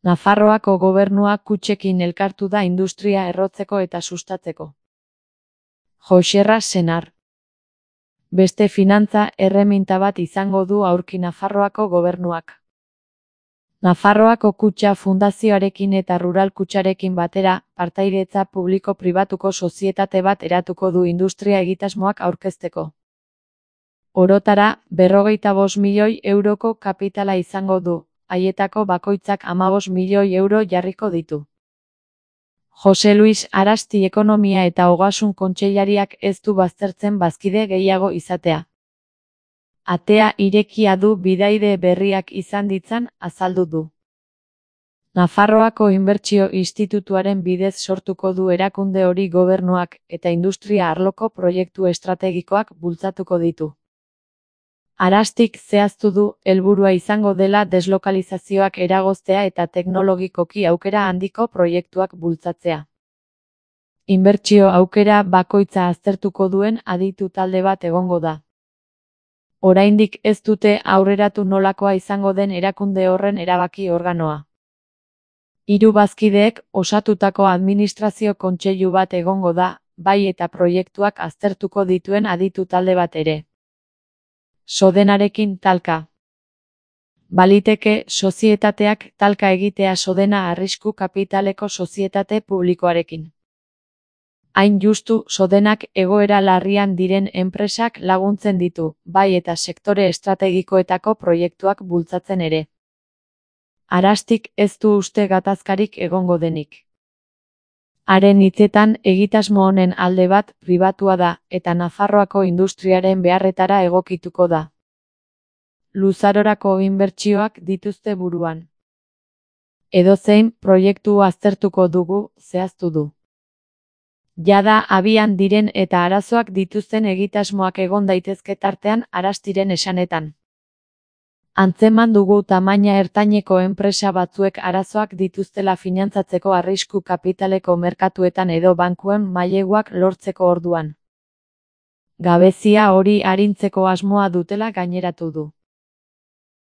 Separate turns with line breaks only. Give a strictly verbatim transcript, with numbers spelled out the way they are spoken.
Nafarroako gobernua kutxekin elkartu da industria errotzeko eta sustatzeko. Joxerra Senar. Beste finantza erreminta bat izango du aurki Nafarroako gobernuak. Nafarroako Kutxa Fundazioarekin eta Rural Kutxarekin batera, partaideetza publiko-pribatuko sozietate bat eratuko du industria egitasmoak aurkezteko. Orotara, berrogeita bost milioi euroko kapitala izango du, haietako bakoitzak hamabost milioi euro jarriko ditu. Jose Luis Arasti Ekonomia eta Ogasun Kontseilariak ez du baztertzen bazkide gehiago izatea. Atea irekia du bidaide berriak izan ditzan, azaldu du. Nafarroako Inbertsio Institutuaren bidez sortuko du erakunde hori gobernuak eta industria arloko proiektu estrategikoak bultzatuko ditu. Arastik zehaztu du, helburua izango dela deslokalizazioak eragoztea eta teknologikoki aukera handiko proiektuak bultzatzea. Inbertsio aukera bakoitza aztertuko duen aditu talde bat egongo da. Oraindik ez dute aurreratu nolakoa izango den erakunde horren erabaki organoa. Hiru bazkideek osatutako administrazio kontseilu bat egongo da, bai eta proiektuak aztertuko dituen aditu talde bat ere. Sodenarekin talka. Baliteke sozietateak talka egitea Sodena arrisku kapitaleko sozietate publikoarekin. Hain justu Sodenak egoera larrian diren enpresak laguntzen ditu, bai eta sektore estrategikoetako proiektuak bultzatzen ere. Arastik ez du uste gatazkarik egongo denik. Haren hitzetan egitasmo honen alde bat pribatua da eta Nafarroako industriaren beharretara egokituko da. Luzarorako inbertsioak dituzte buruan. Edozein proiektu aztertuko dugu, zehaztu du. Jada abian diren eta arazoak dituzten egitasmoak egon daitezke tartean Arastiren esanetan. Antzeman dugu tamaina ertaineko enpresa batzuek arazoak dituztela finantzatzeko arrisku kapitaleko merkatuetan edo bankuen maileguak lortzeko orduan. Gabezia hori arintzeko asmoa dutela gaineratu du.